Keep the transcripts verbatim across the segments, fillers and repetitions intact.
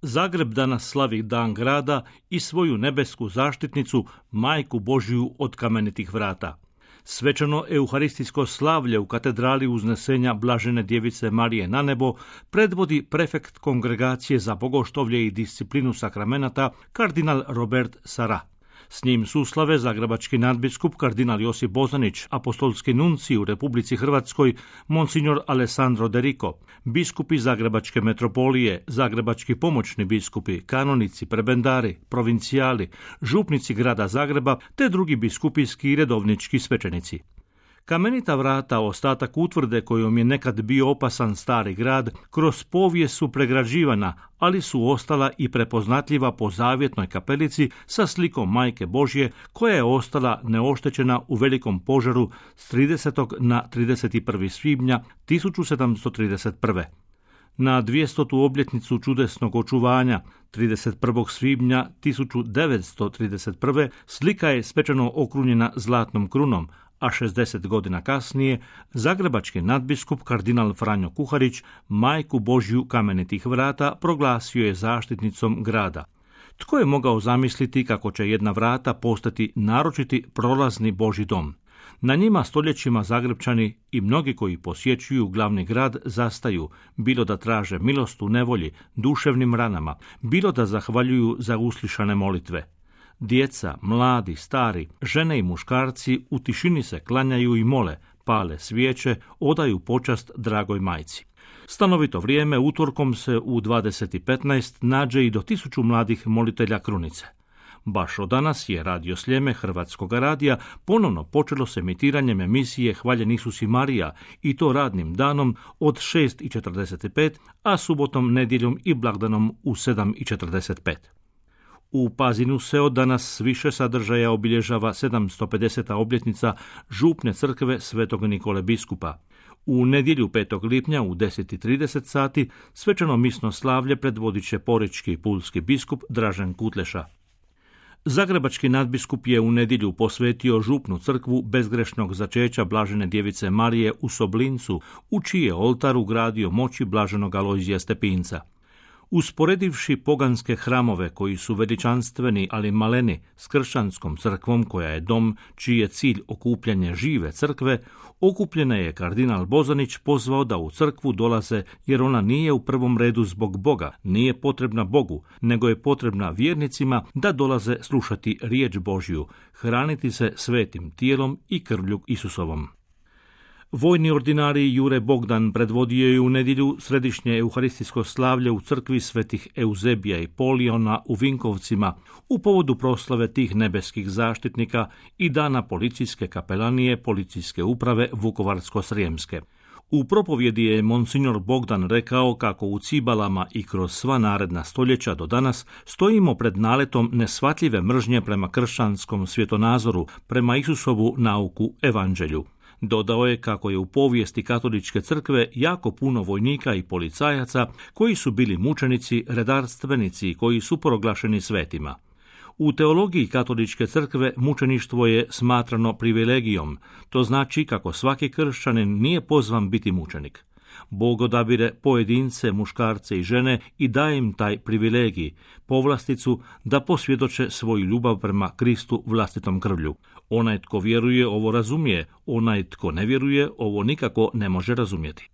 Zagreb danas slavi Dan grada i svoju nebesku zaštitnicu, Majku Božju od kamenitih vrata. Svečano euharistijsko slavlje u katedrali Uznesenja Blažene djevice Marije na nebo predvodi prefekt Kongregacije za bogoštovlje i disciplinu sakramenata kardinal Robert Sara. S njim suslave zagrebački nadbiskup kardinal Josip Bozanić, apostolski nuncij u Republici Hrvatskoj monsignor Alessandro De Rico, biskupi Zagrebačke metropolije, zagrebački pomoćni biskupi, kanonici, prebendari, provincijali, župnici grada Zagreba te drugi biskupijski i redovnički svećenici. Kamenita vrata, ostatak utvrde kojom je nekad bio opasan stari grad, kroz povijest su pregrađivana, ali su ostala i prepoznatljiva po zavjetnoj kapelici sa slikom Majke Božje, koja je ostala neoštećena u velikom požaru s tridesetog na trideset prvi svibnja tisuću sedamsto trideset prve. Na dvjestotu obljetnicu čudesnog očuvanja, trideset prvog svibnja tisuću devetsto trideset prve, slika je svečano okrunjena zlatnom krunom, a šezdeset godina kasnije zagrebački nadbiskup kardinal Franjo Kuharić Majku Božju kamenitih vrata proglasio je zaštitnicom grada. Tko je mogao zamisliti kako će jedna vrata postati naročiti prolazni Božji dom? Na njima stoljećima Zagrebčani i mnogi koji posjećuju glavni grad zastaju, bilo da traže milost u nevolji, duševnim ranama, bilo da zahvaljuju za uslišane molitve. Djeca, mladi, stari, žene i muškarci u tišini se klanjaju i mole, pale svijeće, odaju počast dragoj majci. Stanovito vrijeme utorkom se u dvadeset petnaest nađe i do tisuću mladih molitelja krunice. Baš od danas je Radio Sljeme Hrvatskog radija ponovno počelo s emitiranjem emisije Hvaljen Isus i Marija, i to radnim danom od šest i četrdeset pet, a subotom, nedjeljom i blagdanom u sedam i četrdeset pet. U Pazinu se od danas više sadržaja obilježava sedamsto pedeseta obljetnica župne crkve Svetog Nikole biskupa. U nedjelju petog lipnja u deset i trideset sati svečano misno slavlje predvodit će porečki i pulski biskup Dražen Kutleša. Zagrebački nadbiskup je u nedjelju posvetio župnu crkvu bezgrešnog začeća Blažene djevice Marije u Soblincu, u čiji je oltar ugradio moći blaženog Alojzija Stepinca. Usporedivši poganske hramove koji su veličanstveni ali maleni s kršćanskom crkvom koja je dom čiji je cilj okupljanje žive crkve, okupljene je kardinal Bozanić pozvao da u crkvu dolaze jer ona nije u prvom redu zbog Boga, nije potrebna Bogu, nego je potrebna vjernicima da dolaze slušati riječ Božju, hraniti se svetim tijelom i krvlju Isusovom. Vojni ordinarij Jure Bogdan predvodio je u nedjelju središnje euharistijsko slavlje u crkvi svetih Euzebija i Poliona u Vinkovcima u povodu proslave tih nebeskih zaštitnika i dana policijske kapelanije policijske uprave Vukovarsko-srijemske. U propovjedi je monsignor Bogdan rekao kako u cibalama i kroz sva naredna stoljeća do danas stojimo pred naletom neshvatljive mržnje prema kršćanskom svjetonazoru, prema Isusovu nauku evanđelju. Dodao je kako je u povijesti katoličke crkve jako puno vojnika i policajaca koji su bili mučenici, redarstvenici i koji su proglašeni svetima. U teologiji katoličke crkve mučeništvo je smatrano privilegijom, to znači kako svaki kršćanin nije pozvan biti mučenik. Bog odabire pojedince, muškarce i žene i daje im taj privilegij, povlasticu da posvjedoče svoju ljubav prema Kristu vlastitom krvlju. Onaj tko vjeruje ovo razumije, onaj tko ne vjeruje ovo nikako ne može razumjeti.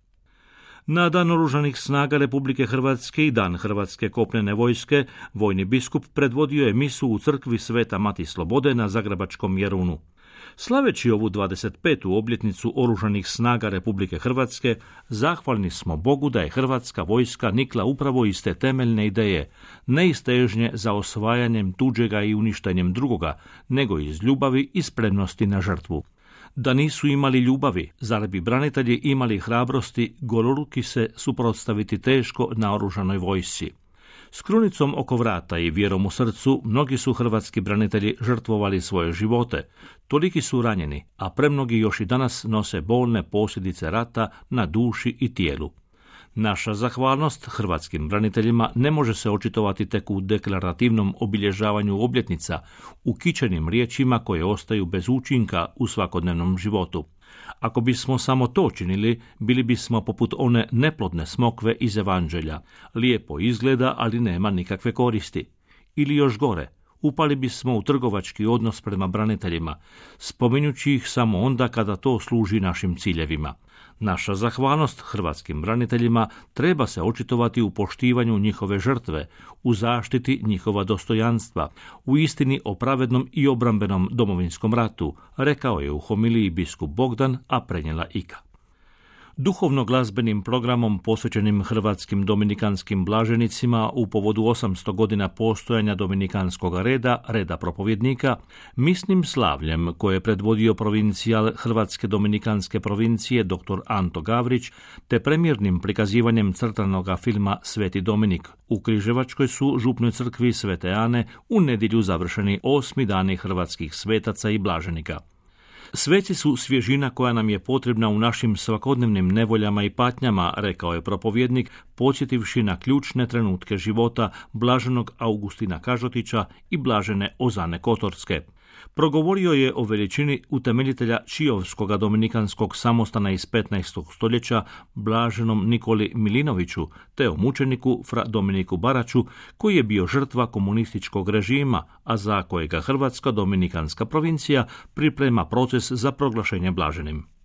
Na Dan Oružanih snaga Republike Hrvatske i Dan Hrvatske kopnene vojske, vojni biskup predvodio je misu u crkvi Sveta Mati Slobode na zagrebačkom Jarunu. Slaveći ovu dvadeset petu obljetnicu Oružanih snaga Republike Hrvatske, zahvalni smo Bogu da je Hrvatska vojska nikla upravo iz te temeljne ideje, ne iz težnje za osvajanjem tuđega i uništenjem drugoga, nego iz ljubavi i spremnosti na žrtvu. Da nisu imali ljubavi, zar bi branitelji imali hrabrosti goloruki se suprotstaviti teško naoružanoj vojsci? S krunicom oko vrata i vjerom u srcu mnogi su hrvatski branitelji žrtvovali svoje živote, toliki su ranjeni, a premnogi još i danas nose bolne posljedice rata na duši i tijelu. Naša zahvalnost hrvatskim braniteljima ne može se očitovati tek u deklarativnom obilježavanju obljetnica, u kičenim riječima koje ostaju bez učinka u svakodnevnom životu. Ako bismo samo to činili, bili bismo poput one neplodne smokve iz Evanđelja. Lijepo izgleda, ali nema nikakve koristi. Ili još gore, upali bismo u trgovački odnos prema braniteljima, spominjući ih samo onda kada to služi našim ciljevima. Naša zahvalnost hrvatskim braniteljima treba se očitovati u poštivanju njihove žrtve, u zaštiti njihova dostojanstva, u istini o pravednom i obrambenom domovinskom ratu, rekao je u homiliji biskup Bogdan, a prenijela Ika. Duhovno-glazbenim programom posvećenim hrvatskim dominikanskim blaženicima u povodu osamsto godina postojanja dominikanskog reda, reda propovjednika, misnim slavljem koje je predvodio provincijal Hrvatske dominikanske provincije dr. Anto Gavrić, te premjernim prikazivanjem crtanoga filma Sveti Dominik. U Križevačkoj su župnoj crkvi Svete Ane u nedjelju završeni osmi dani hrvatskih svetaca i blaženika. Sveci su svježina koja nam je potrebna u našim svakodnevnim nevoljama i patnjama, rekao je propovjednik, podsjetivši na ključne trenutke života blaženog Augustina Kažotića i blažene Ozane Kotorske. Progovorio je o veličini utemeljitelja Čijovskoga dominikanskog samostana iz petnaestog stoljeća, blaženom Nikoli Milinoviću, te o mučeniku fra Dominiku Baraću, koji je bio žrtva komunističkog režima, a za kojega Hrvatska dominikanska provincija priprema proces za proglašenje blaženim.